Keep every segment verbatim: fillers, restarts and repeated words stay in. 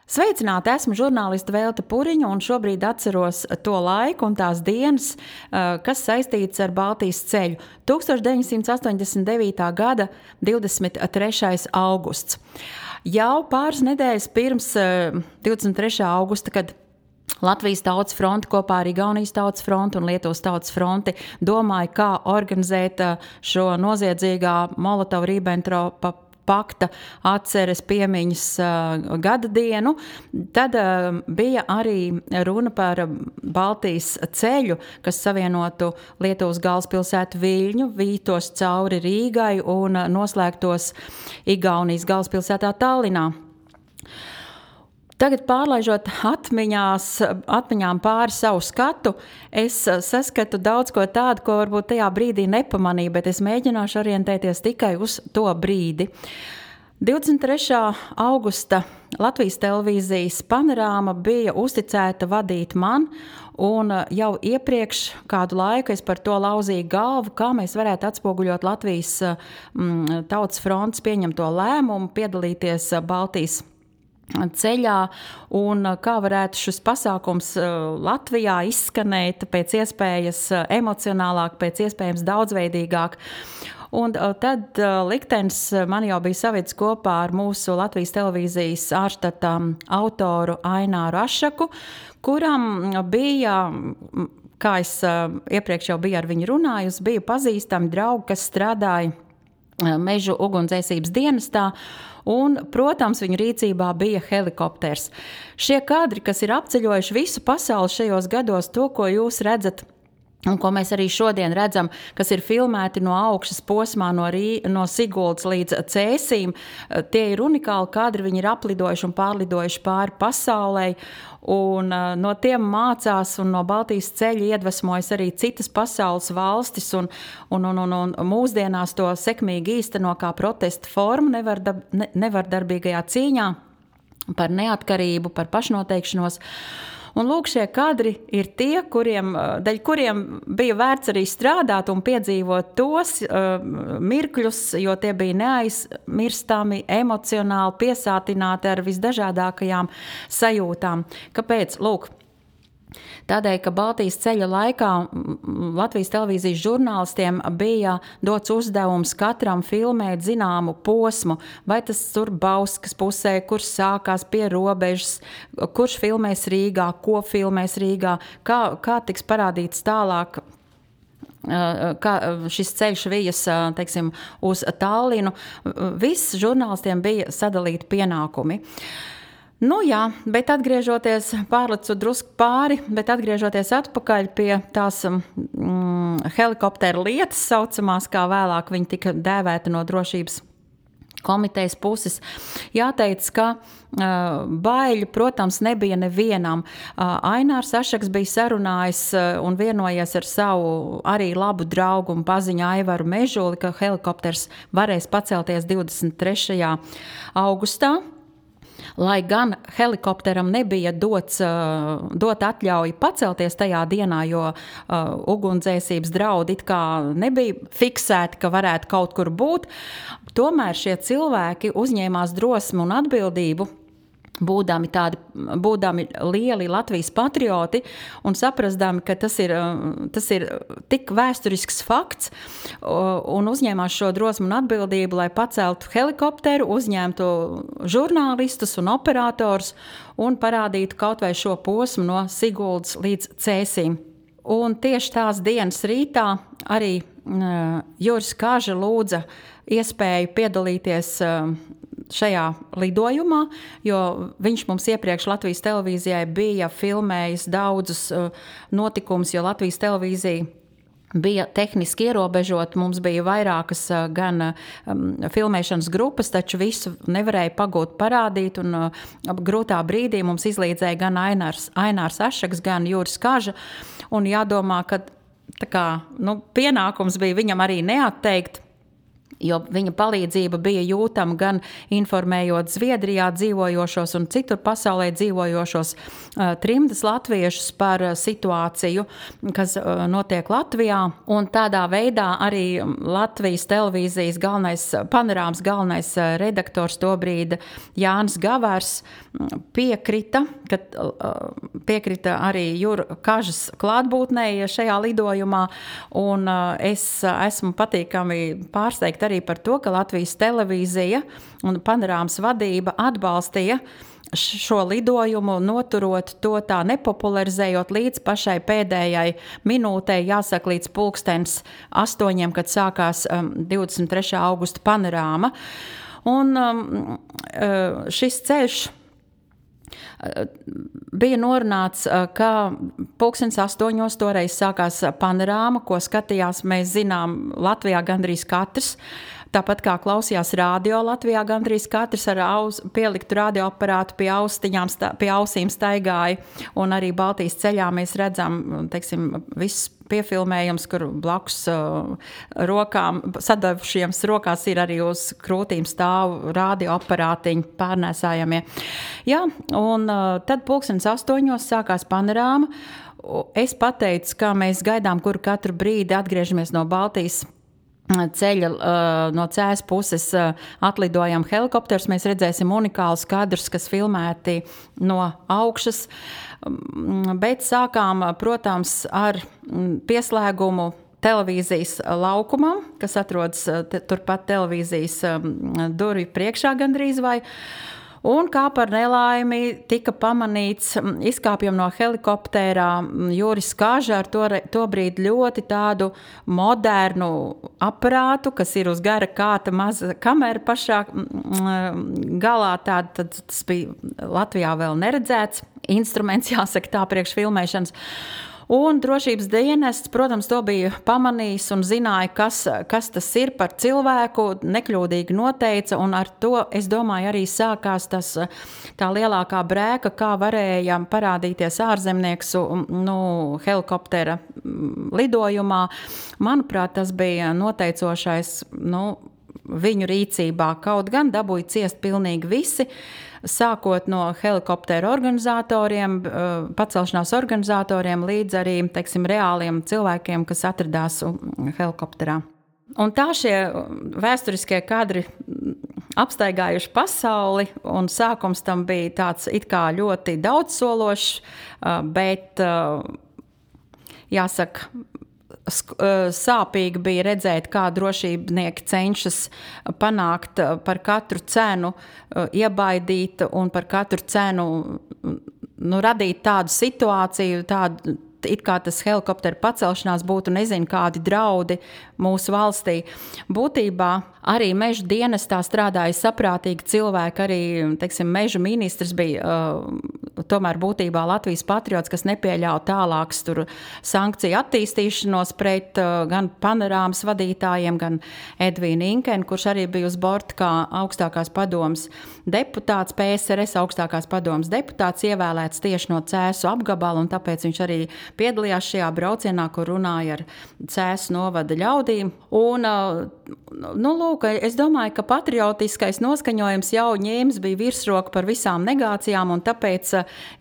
Sveicināti, esmu žurnāliste Velta Puriņa un šobrīd atceros to laiku un tās dienas, kas saistītas ar Baltijas ceļu. tuksstoš deviņsimt astoņdesmit devītā gada divdesmit trešais augusts. Jau pāris nedēļas pirms divdesmit trešā augusta, kad Latvijas Tautas fronte kopā ar Igaunijas Tautas fronti un Lietuvas Tautas fronti domāja, kā organizēt šo noziedzīgā Molotova-Ribbentropa pakta atceres piemiņas uh, gada dienu, tad uh, bija arī runa par Baltijas ceļu, kas savienotu Lietuvas galvaspilsētu Viļņu, vītos cauri Rīgai un noslēgtos Igaunijas galvaspilsētā Tallinā. Tagad pārlaižot atmiņās, atmiņām pāri savu skatu, es saskatu daudz ko tādu, ko varbūt tajā brīdī nepamanīju, bet es mēģināšu orientēties tikai uz to brīdi. divdesmit trešā augusta Latvijas televīzijas panorāma bija uzticēta vadīt man, un jau iepriekš kādu laiku es par to lauzīju galvu, kā mēs varētu atspoguļot Latvijas mm, Tautas frontes pieņemto lēmumu, piedalīties Baltijas ceļā un kā varētu šis pasākums Latvijā izskanēt pēc iespējas emocionālāk, pēc iespējams daudzveidīgāk. Un tad liktenis man jau bija savedis kopā ar mūsu Latvijas televīzijas ārštata autoru Aināru Ašaku, kuram bija, kā es iepriekš jau biju ar viņu runājusi, bija pazīstami draugi, kas strādāja Mežu ugunsdzēsības dienestā, un, protams, viņu rīcībā bija helikopters. Šie kadri, kas ir apceļojuši visu pasauli šajos gados, to, ko jūs redzat, un ko mēs arī šodien redzam, kas ir filmēti no augšas posmā no, Rī, no Siguldas līdz Cēsīm, tie ir unikāli kadri, viņi ir aplidojuši un pārlidojuši pāri pasaulē, un no tiem mācās un no Baltijas ceļa iedvesmojas arī citas pasaules valstis, un, un, un, un, un mūsdienās to sekmīgi īsteno kā protesta formu nevardab, ne, nevardarbīgajā cīņā par neatkarību, par pašnoteikšanos. Un lūk, šie kadri ir tie, kuriem, daļ kuriem bija vērts arī strādāt un piedzīvot tos uh, mirkļus, jo tie bija neaizmirstami, emocionāli piesātināti ar visdažādākajām sajūtām. Kāpēc? Lūk, tādēļ, ka Baltijas ceļa laikā Latvijas televīzijas žurnālistiem bija dots uzdevums katram filmēt zināmu posmu, vai tas tur Bauskas pusē, kurš sākās pie robežas, kurš filmēs Rīgā, ko filmēs Rīgā, kā, kā tiks parādīts tālāk, kā šis ceļš vijas, teiksim, uz Tallinu. Viss žurnālistiem bija sadalīti pienākumi. Nu jā, bet atgriežoties, pārlecu drusku pāri, bet atgriežoties atpakaļ pie tās mm, helikoptera lietas saucamās, kā vēlāk viņi tika dēvēti no drošības komitejas puses, jāteic, ka uh, baiļu, protams, nebija nevienam. Uh, Ainārs Ašaks bija sarunājis uh, un vienojies ar savu arī labu draugu un paziņu Aivaru Mežuli, ka helikopters varēs pacelties divdesmit trešajā augustā. Lai gan helikopteram nebija dots, uh, dot atļauju pacelties tajā dienā, jo uh, ugunsdzēsības draudi it kā nebija fiksēti, ka varētu kaut kur būt, tomēr šie cilvēki uzņēmās drosmi un atbildību, būdami tādi, būdami lieli Latvijas patrioti un saprastami, ka tas ir, tas ir tik vēsturisks fakts un uzņēmās šo drosmu un atbildību, lai paceltu helikopteru, uzņemtu žurnālistus un operators un parādītu kaut vai šo posmu no Siguldas līdz Cēsīm. Un tieši tās dienas rītā arī uh, Juris Kaža lūdza iespēju piedalīties uh, šajā lidojumā, jo viņš mums iepriekš Latvijas televīzijai bija filmējis daudzus uh, notikumus, jo Latvijas televīzija bija tehniski ierobežot, mums bija vairākas uh, gan um, filmēšanas grupas, taču visu nevarēja pagūt parādīt, un uh, grūtā brīdī mums izlīdzēja gan Ainārs, Ainārs Ašaks, gan Juris Kaža, un jādomā, ka tā kā, nu, pienākums bija viņam arī neatteikt, jo viņa palīdzība bija jūtama gan informējot Zviedrijā dzīvojošos un citur pasaulē dzīvojošos uh, trimdas latviešus par uh, situāciju, kas uh, notiek Latvijā. Un tādā veidā arī Latvijas televīzijas galvenais, panorāmas galvenais uh, redaktors tobrīd Jānis Gavers piekrita, ka uh, piekrita arī Jura Kažas klātbūtnei šajā lidojumā, un uh, es uh, esmu patīkami pārsteigta arī par to, ka Latvijas televīzija un panorāmas vadība atbalstīja šo lidojumu, noturot to tā nepopularizējot līdz pašai pēdējai minūtei, jāsaka līdz pulkstens astoņiem, kad sākās um, divdesmit trešā augusta panorāma. Un um, šis ceļš bija norunāts, ka pulkstens astoņos toreiz sākās panorāma, ko skatījās, mēs zinām, Latvijā gandrīz katrs. Tāpat kā klausījās radio Latvijā gandrīz katrs ar aus, pieliktu radioaparātu pie austiņām, stā, pie ausīm staigāja, un arī Baltijas ceļā mēs redzam, teiksim, viss piefilmējums, kur blakus uh, rokām, sadavušiem rokās ir arī uz krūtīm stāv radioaparātiņi pārnēsājamie. Jā, un uh, tad pulkstens astoņos sākās panorāma. Es pateicu, ka mēs gaidām, kur katru brīdi atgriežamies no Baltijas ceļa, no Cēs puses atlidojam helikopters, mēs redzēsim unikālus kadrus, kas filmēti no augšas, bet sākām, protams, ar pieslēgumu televīzijas laukumam, kas atrodas turpat televīzijas durvju priekšā gandrīz vai. Un kā par nelaimi tika pamanīts, izkāpjam no helikoptērā Juris Kaža ar to, to brīdi ļoti tādu modernu aparātu, kas ir uz gara kāta maza kamera pašā galā. Tād, tad tas bija Latvijā vēl neredzēts instruments, jāsaka tā, priekš filmēšanas. Un drošības dienests, protams, to bija pamanījis un zināja, kas, kas tas ir par cilvēku, nekļūdīgi noteica, un ar to, es domāju, arī sākās tas, tā lielākā brēka, kā varēja parādīties ārzemnieks nu, helikoptera lidojumā. Manuprāt, tas bija noteicošais, nu, viņu rīcībā. Kaut gan dabūja ciest pilnīgi visi, sākot no helikoptera organizatoriem, pacelšanās organizatoriem, līdz arī, teiksim, reāliem cilvēkiem, kas atradās helikopterā. Un tā šie vēsturiskie kadri apstaigājuši pasauli, un sākums tam bija tāds it kā ļoti daudzsološs, bet, jāsaka, sāpīgi bija redzēt, kā drošībnieki cenšas panākt par katru cenu, iebaidīt un par katru cenu nu, radīt tādu situāciju, tādu, it kā tas helikoptera pacelšanās būtu nezinu kādi draudi mūsu valstī. Būtībā arī meža dienestā strādāja saprātīgi cilvēki, arī, teiksim, meža ministrs bija uh, tomēr būtībā Latvijas patriots, kas nepieļauj tālākas tur sankciju attīstīšanos pret uh, gan panorāmas vadītājiem, gan Edvīnu Inkeni, kurš arī bija uz borta kā augstākās padomas deputāts, P S R S augstākās padomas deputāts, ievēlēts tieši no Cēsu apgabala, un tāpēc viņš arī piedalījās šajā braucienā, kur runāja ar Cēsu novada ļaudīm. Un, nu, lūk, es domāju, ka patriotiskais noskaņojums jau ņēmis bija virsroka par visām negācijām, un tāpēc,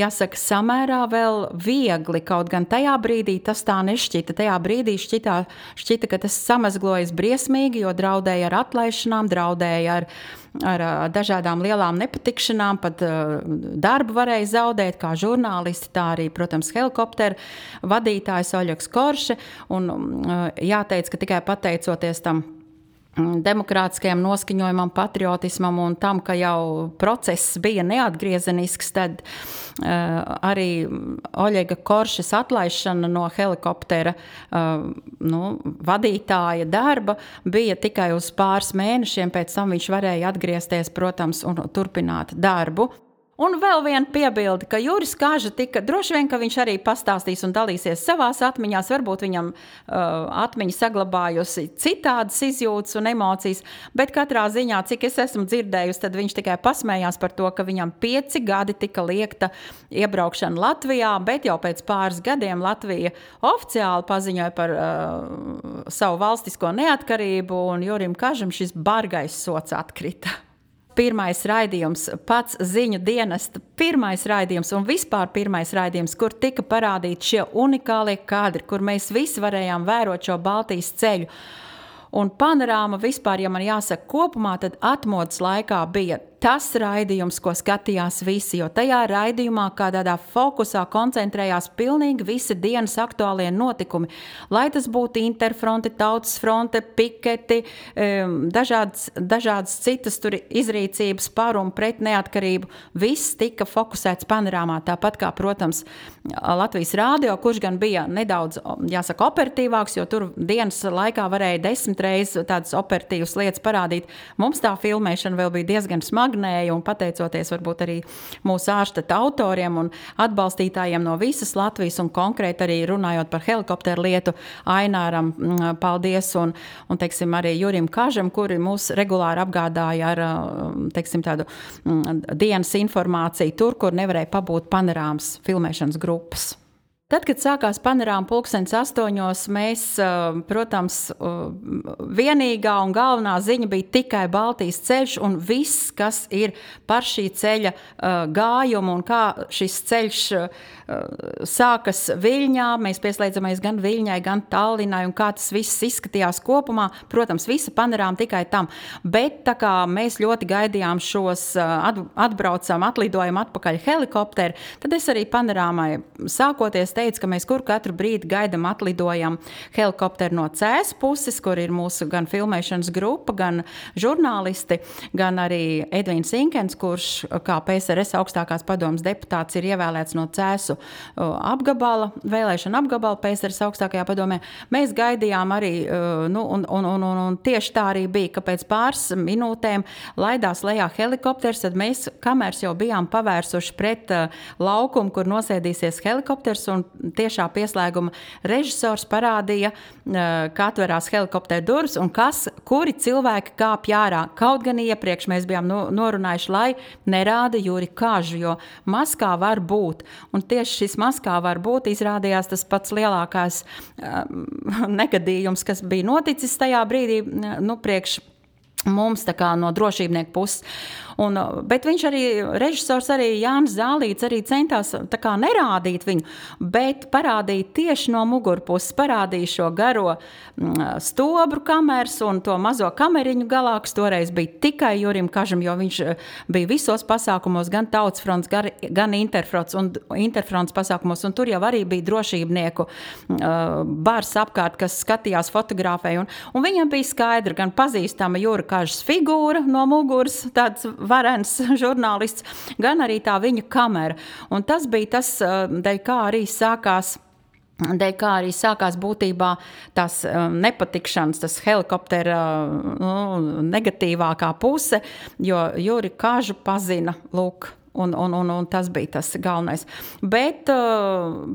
jāsaka, samērā vēl viegli, kaut gan tajā brīdī tas tā nešķita. Tajā brīdī šķitā, šķita, ka tas samazglojas briesmīgi, jo draudēja ar atlaišanām, draudēja ar ar dažādām lielām nepatikšanām, pat darbu varēja zaudēt, kā žurnālisti, tā arī, protams, helikoptera vadītājs Oļegs Korše, un jāteic, ka tikai pateicoties tam demokrātiskajam noskaņojumam, patriotismam un tam, ka jau process bija neatgriezenisks, tad uh, arī Oļega Koršas atlaišana no helikoptera uh, nu, vadītāja darba bija tikai uz pāris mēnešiem, pēc tam viņš varēja atgriezties, protams, un turpināt darbu. Un vēl viena piebilde, ka Juris Kaža tika, droši vien, ka viņš arī pastāstīs un dalīsies savās atmiņās, varbūt viņam uh, atmiņa saglabājusi citādas izjūtas un emocijas, bet katrā ziņā, cik es esmu dzirdējusi, tad viņš tikai pasmējās par to, ka viņam pieci gadi tika liekta iebraukšana Latvijā, bet jau pēc pāris gadiem Latvija oficiāli paziņoja par uh, savu valstisko neatkarību, un Jurim Kažam šis bargais sots atkrita. Pirmais raidījums, pats ziņu dienesta pirmais raidījums un vispār pirmais raidījums, kur tika parādīti šie unikālie kadri, kur mēs visi varējām vērot šo Baltijas ceļu. Un panorāma vispār, ja man jāsaka kopumā, tad atmodas laikā bija tas raidījums, ko skatījās visi, jo tajā raidījumā kā tādā fokusā koncentrējās pilnīgi visi dienas aktuālie notikumi. Lai tas būtu Interfronte, Tautas fronte, piketi, dažādas, dažādas citas tur izrīcības par un pret neatkarību, viss tika fokusēts panorāmā. Tāpat kā, protams, Latvijas rādio, kurš gan bija nedaudz, jāsaka, operatīvāks, jo tur dienas laikā varēja desmit reizes tādas operatīvas lietas parādīt. Mums tā filmēšana vēl bija diezgan smaga, un pateicoties varbūt arī mūsu ārštata autoriem un atbalstītājiem no visas Latvijas un konkrēti arī runājot par helikopteru lietu Aināram, paldies, un, un teiksim, arī Jurim Kažam, kuri mūs regulāri apgādāja ar, teiksim, tādu dienas informāciju tur, kur nevarēja pabūt panorāmas filmēšanas grupas. Tad, kad sākās panorāma pulkstenis astoņos, mēs, protams, vienīgā un galvenā ziņa bija tikai Baltijas ceļš un viss, kas ir par šī ceļa gājumu un kā šis ceļš sākas Viļņā. Mēs pieslēdzamies gan Viļņai, gan Tallinai un kā tas viss izskatījās kopumā. Protams, visa panorāma tikai tam. Bet tā kā mēs ļoti gaidījām šos atbraucam, atlidojam atpakaļ helikopteri, tad es arī panorāmai sākoties teicu, ka mēs kur katru brīdi gaidam atlidojam helikopteru no Cēs puses, kur ir mūsu gan filmēšanas grupa, gan žurnālisti, gan arī Edvīns Inkens, kurš kā P S R S augstākās padomas deputāts ir ievēlēts no Cēsu apgabala, vēlēšana apgabala P S R S augstākajā padomē. Mēs gaidījām arī, nu, un, un, un, un, un tieši tā arī bija, ka pēc pāris minūtēm laidās lejā helikopters, tad mēs kameras jau bijām pavērsuši pret laukumu, kur nosēdīsies helikopters, un tiešā pieslēguma režisors parādīja, kā atverās helikoptera durvis un kas, kuri cilvēki kāpj ārā. Kaut gan iepriekš mēs bijām norunājuši, lai nerāda Juri Kažu, jo maskā var būt. Un tieši šis maskā var būt izrādījās tas pats lielākais um, negadījums, kas bija noticis tajā brīdī, nu, priekš mums tā kā no drošībnieku puses. Un, bet viņš arī, režisors arī Jānis Zālīts arī centās tā kā nerādīt viņu, bet parādīt tieši no mugurpuses, parādīja šo garo stobru kameras un to mazo kameriņu galā, kas toreiz bija tikai Jurim Kažam, jo viņš bija visos pasākumos, gan Tautas fronts, gan Interfronts un Interfronts pasākumos, un tur jau arī bija drošībnieku bars apkārt, kas skatījās fotografēju, un, un viņam bija skaidra, gan pazīstama Jura Kažas figūra no muguras, tāds varens žurnālists, gan arī tā viņa kamera. Un tas bija tas, dēļ kā arī sākās Dēļ kā arī sākās būtībā tās nepatikšanas, tas helikoptera nu, negatīvākā puse, jo Juri Kažu pazina, lūk, un, un, un, un tas bija tas galvenais. Bet,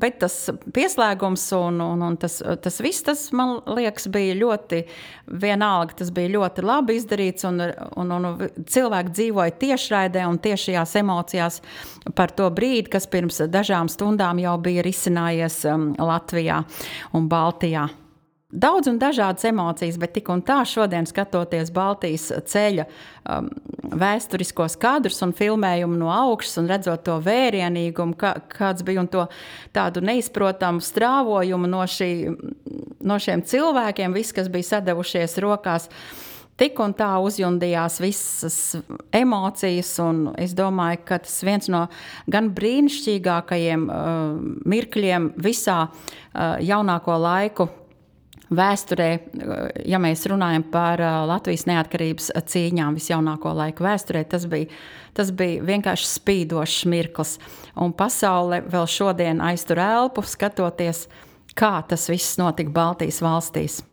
bet tas pieslēgums un, un, un tas, tas viss, tas, man liekas, bija ļoti vienalga, tas bija ļoti labi izdarīts, un, un, un cilvēki dzīvoja tiešraidē un tiešajās emocijās par to brīdi, kas pirms dažām stundām jau bija risinājies Latvijā un Baltijā. Daudz un dažādas emocijas, bet tik un tā šodien skatoties Baltijas ceļa um, vēsturiskos kadrus un filmējumu no augšas un redzot to vērienīgumu, kā, kāds bija un to tādu neizprotamu strāvojumu no, šī, no šiem cilvēkiem, viss, kas bija sadevušies rokās, tik un tā uzjundījās visas emocijas, un es domāju, ka tas viens no gan brīnišķīgākajiem uh, mirkļiem visā uh, jaunāko laiku vēsturē, ja mēs runājam par Latvijas neatkarības cīņām visjaunāko laiku vēsturē, tas bija, tas bija vienkārši spīdošs mirklis. Un pasaule vēl šodien aiztur elpu, skatoties, kā tas viss notika Baltijas valstīs.